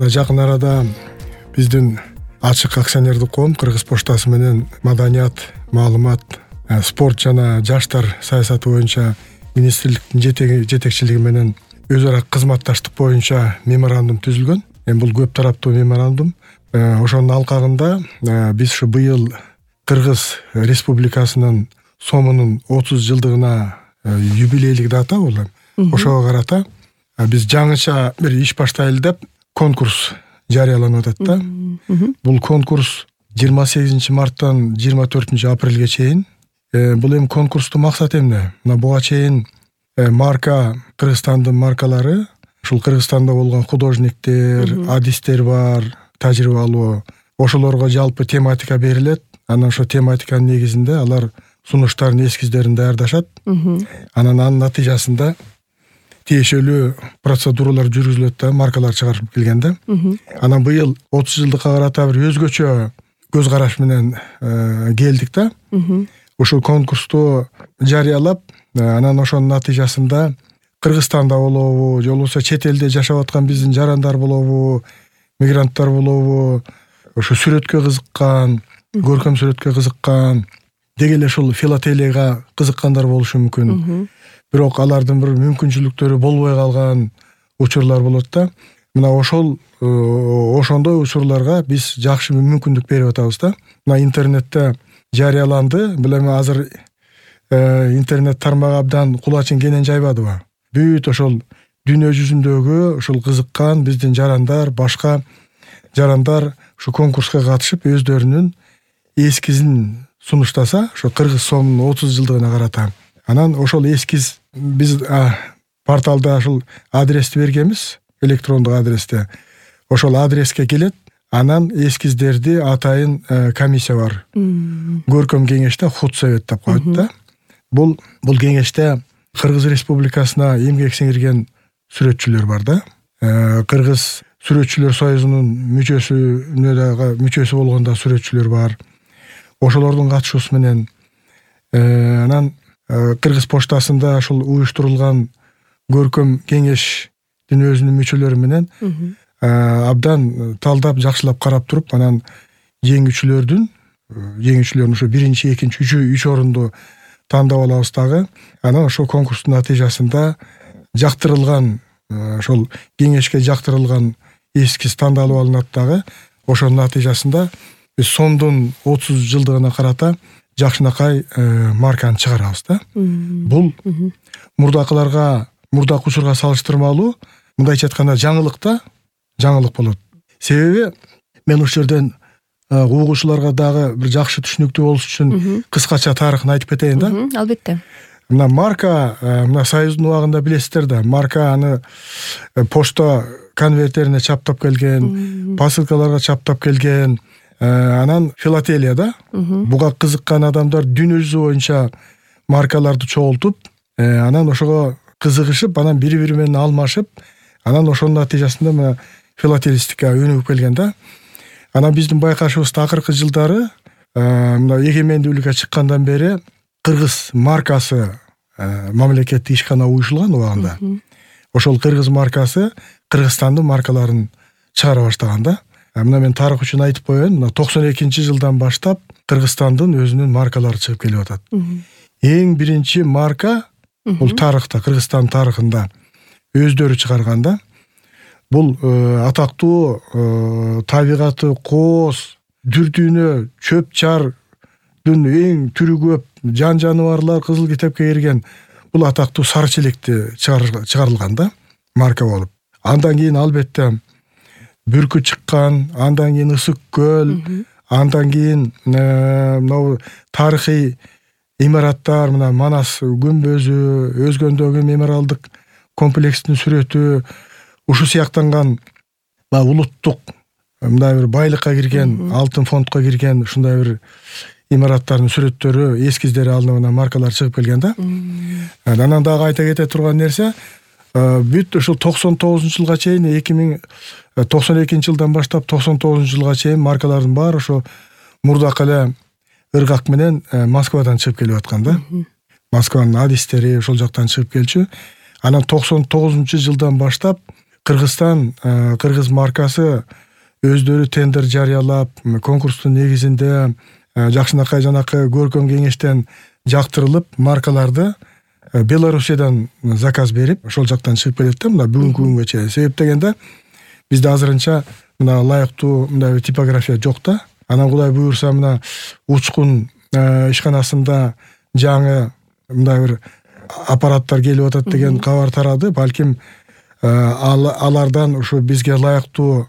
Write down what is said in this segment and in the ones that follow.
Жакын арада биздин ачык акционердик коом Кыргыз поштасы менен маданият, маалымат, спорт жана жаштар саясаты боюнча министрликтин жетекчилиги менен өз ара кызматташтык боюнча меморандум түзүлгөн. Бул көп тараптуу меморандум. Ошонун алкагында биз ушу быйыл Кыргыз Республикасынын Сомунун 30 жылдыгына юбилейлик дата бул. Ошого карата биз жаңыча бир иш баштайлы деп конкурс жарыяланып атат да. Бул конкурс 28 марттан 24 апрелге чейин. Бул эми конкурстун максаты эмне? Мына буга чейин марка, Кыргызстандын маркалары, ушул Кыргызстанда болгон художниктер, адистер бар, тажрыйбалуу. Ошолорго жалпы тематика берилет. Анан ошо тематиканын негизинде алар сунуштардын эскиздерин даярдашат. Анын натыйжасында тиешелүү процедуралар жүргүзүлөт да, маркалар чыгарып келгенде. Анан быйыл 30 жылдыкка карата бир өзгөчө көз караш менен келдик да. Ушул конкурсту жарыялап, анан ошонун натыйжасында Кыргызстанда болобу, же болбосо чет элде жашап аткан биздин жарандар болобу, мигранттар болобу, ошо сүрөткө кызыккан, көркөм сүрөткө кызыккан, деги эле ушул филателияга кызыккандар болушу мүмкүн. Бирок алардын бир мүмкүнчүлүктөрү болбой калган учурлар болот да. Мына ошондой учурларга биз жакшы мүмкүндүк берип атабыз да. Мына интернетте жарыяланды. Бул эми азыр интернет тармагы абдан кулачын кенен жайбадыбы? Бүт ошол дүйнө жүзүндөгү ушул кызыккан биздин жарандар, башка жарандар ушу конкурска катышып өздөрүнүн эскизин сунуштаса, ошо Кыргыз Сомунун 30 жылдыгына карата. Анан ошол эскиз биз порталда ушул адрести бергенбиз, электрондук адресте. Ошол адреске келет. Анан эскиздерди атайын комиссия бар. Көркөм кеңеште худсовет деп коет да. Бул кеңеште Кыргыз Республикасына эмгек сиңирген сүрөтчүлөр бар да. Кыргыз сүрөтчүлөр союзунун мүчөсү болгондо сүрөтчүлөр бар. Ошолордун катышуусу менен анан Кыргыз поштасында ушул уюштурулган көркөм кеңештин өзүнүн мүчөлөрү менен абдан талдап, жакшылап карап туруп, анан жеңүүчүлөрдүн ушу 1-2, 3 орунду тандап алабыз дагы. Анан ошол конкурстун натыйжасында жактырылган, ошол кеңешке жактырылган эскиз тандалып алынат дагы. Ошонун натыйжасында биз Сомдун 30 жылдыгына карата жакшынакай марканы чыгарабыз да. Бул мурдакы учурга салыштырмалуу, мындайча айтканда жаңылык болот. Себеби мен ушул жерден угуучуларга дагы бир жакшы түшүнүктүү болуш үчүн кыскача тарыхын айтып кетейин да. Албетте. Мына марка, мына Союздун убагында билесиздер да, марка аны почта конвертерине чаптап келген, посылкаларга чаптап келген. Анан филателия да. Буга кызыккан адамдар дүйнө жүзү боюнча маркаларды чогултуп, анан ошого кызыгышып, анан бири-бири менен алмашып, анан ошонун натыйжасында мына филателистика өнүгүп келген да. Анан биздин байкашыбызда акыркы жылдары мына эгемендүүлүккө чыккандан бери Кыргыз маркасы мамлекеттик ишкана уюшулган убагында. Ошол Кыргыз маркасы Кыргызстандын маркаларын чыгара баштаган да. Мына мен тарых үчүн айтып коеюн, мына 92 жылдан баштап Кыргызстандын өзүнүн маркалары чыгып келип атат. Эң биринчи марка бул тарыхта, Кыргызстан тарыхында өздөрү чыгарган да. Бул атактуу табигаты кооз, дүрдүйнө, чөп-чардын эң түрү көп жан-жаныбарлар кызыл китепке кирген бул атактуу сары челекти чыгарылган да, марка болуп. Андан кийин албетте Бүркү чыккан, андан кийин Ысык көл, андан кийин мына тарыхый имараттар, мына Манас күмбөзү, Өзгөндөгү мемориалдык комплекстин сүрөтү, ушу сыяктанган улуттук мындай бир байлыкка кирген, алтын фондко кирген ушундай бир имараттардын сүрөттөрү, эскиздери алынып анан маркалар чыгып келген да. Анан дагы айта кете турган нерсе, бүт ушул 99 жылга чейин 92 жылдан баштап 99 жылга чейин маркалардын баары ошо мурдакы эле ыргак менен Москвадан чыгып келип аткан да. Москванын адистери ошол жактан чыгып келчү. Анан 99 жылдан баштап Кыргызстан, кыргыз маркасы өздөрү тендер жарыялап, конкурстун негизинде жакшынакай жанакы көркөм кеңештен жактырылып, маркаларды Белоруссиядан заказ берип, ошол жактан чыгып келет да, мына бүгүнкү күнгө чейин. Себеп дегенде бизде азырынча мына ылайыктуу мындай бир типография жок да. Анан Кудай буюрса мына Учкун ишканасында жаңы мындай бир аппараттар келип атат деген кабар тарады. Балким алардан ушу бизге ылайыктуу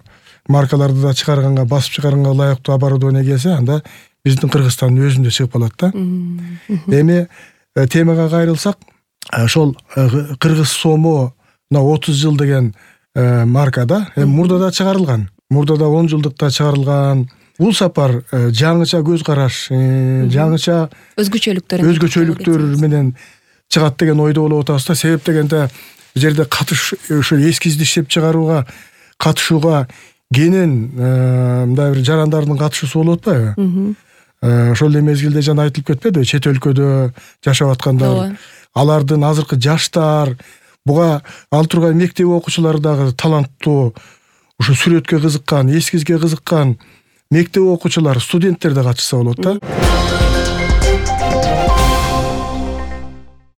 маркаларды да чыгарганга, басып чыгарганга ылайыктуу оборудование келсе, анда биздин Кыргызстандын өзүндө чыгып калат да. Эми темага кайрылсак, ошол кыргыз сому мына 30 жыл деген марка да. Мурда да чыгарылган. Мурда да 10 жылдыкта чыгарылган. Бул сапар жаңыча көз караш, жаңыча өзгөчөлүктөр менен чыгат деген ойдо болуп атабыз да. Себеп дегенде бул жерде ушу эскизди иштеп чыгарууга катышууга кенен мындай бир жарандардын катышуусу болуп атпайбы? Ошол эле мезгилде жана айтылып кетпедиби, чет өлкөдө жашап аткандар, алардын азыркы жаштар, буга ал тургай мектеп окуучулары дагы таланттуу, ушу сүрөткө кызыккан, эскизге кызыккан мектеп окуучулар, студенттер да катышса болот да.